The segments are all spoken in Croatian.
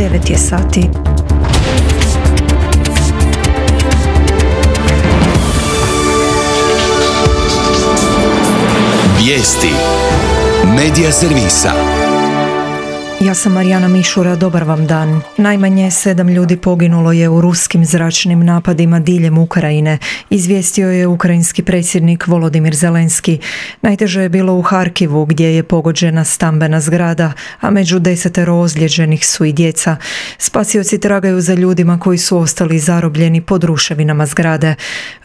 9 je sati. Vijesti Medija servisa. Ja sam Marijana Mišura, dobar vam dan. Najmanje 7 ljudi poginulo je u ruskim zračnim napadima diljem Ukrajine, izvijestio je ukrajinski predsjednik Volodimir Zelenski. Najteže je bilo u Harkivu, gdje je pogođena stambena zgrada, a među 10 ozlijeđenih su i djeca. Spasioci tragaju za ljudima koji su ostali zarobljeni pod ruševinama zgrade.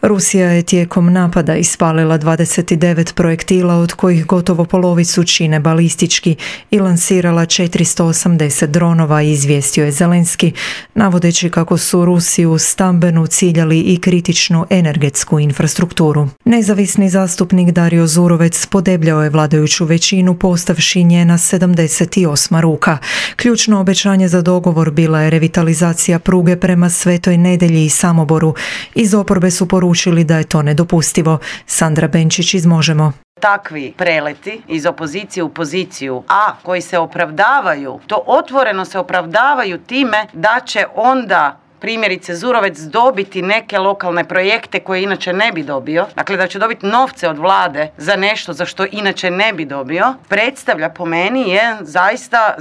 Rusija je tijekom napada ispalila 29 projektila, od kojih gotovo polovicu čine balistički, i lansirala 480 dronova, izvijestio je Zelenski, navodeći kako su Rusi u stambenu ciljali i kritičnu energetsku infrastrukturu. Nezavisni zastupnik Dario Zurovec podebljao je vladajuću većinu postavši njena 78. ruka. Ključno obećanje za dogovor bila je revitalizacija pruge prema Svetoj Nedelji i Samoboru. Iz oporbe su poručili da je to nedopustivo. Sandra Benčić iz Možemo. Takvi preleti iz opozicije u poziciju, a koji se opravdavaju, to otvoreno se opravdavaju time da će onda primjerice Zurovec dobiti neke lokalne projekte koje inače ne bi dobio, dakle da će dobiti novce od vlade za nešto za što inače ne bi dobio, predstavlja po meni je zaista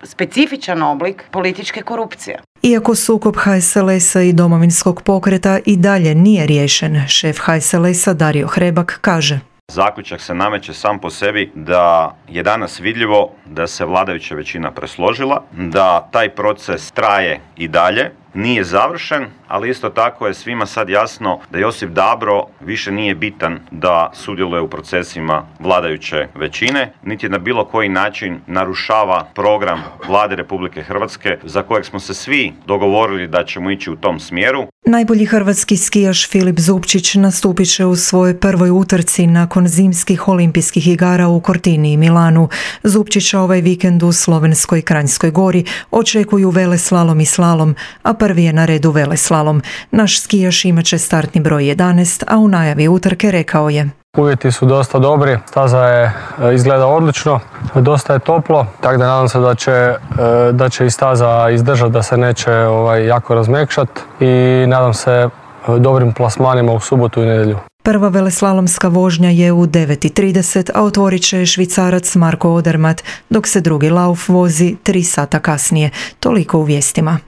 specifičan oblik političke korupcije. Iako sukob HSLS-a i Domovinskog pokreta i dalje nije riješen, šef HSLS-a Dario Hrebak kaže: Zaključak se nameće sam po sebi da je danas vidljivo da se vladajuća većina presložila, da taj proces traje i dalje, nije završen, ali isto tako je svima sad jasno da Josip Dabro više nije bitan da sudjeluje u procesima vladajuće većine, niti na bilo koji način narušava program Vlade Republike Hrvatske za kojeg smo se svi dogovorili da ćemo ići u tom smjeru. Najbolji hrvatski skijaš Filip Zupčić nastupit će u svojoj prvoj utrci nakon zimskih olimpijskih igara u Cortini i Milanu. Zupčića ovaj vikend u slovenskoj Kranjskoj Gori očekuju veleslalom i slalom, a prvi je na redu veleslalom. Naš skijaš imat će startni broj 11, a u najavi utrke rekao je: Uvjeti su dosta dobri, staza je izgleda odlično, dosta je toplo, tako da nadam se da će i staza izdržati, da se neće jako razmekšati i nadam se dobrim plasmanima u subotu i nedjelju. Prva veleslalomska vožnja je u 9:30, a otvorit će Švicarac Marko Odermatt, dok se drugi lauf vozi 3 sata kasnije. Toliko u vijestima.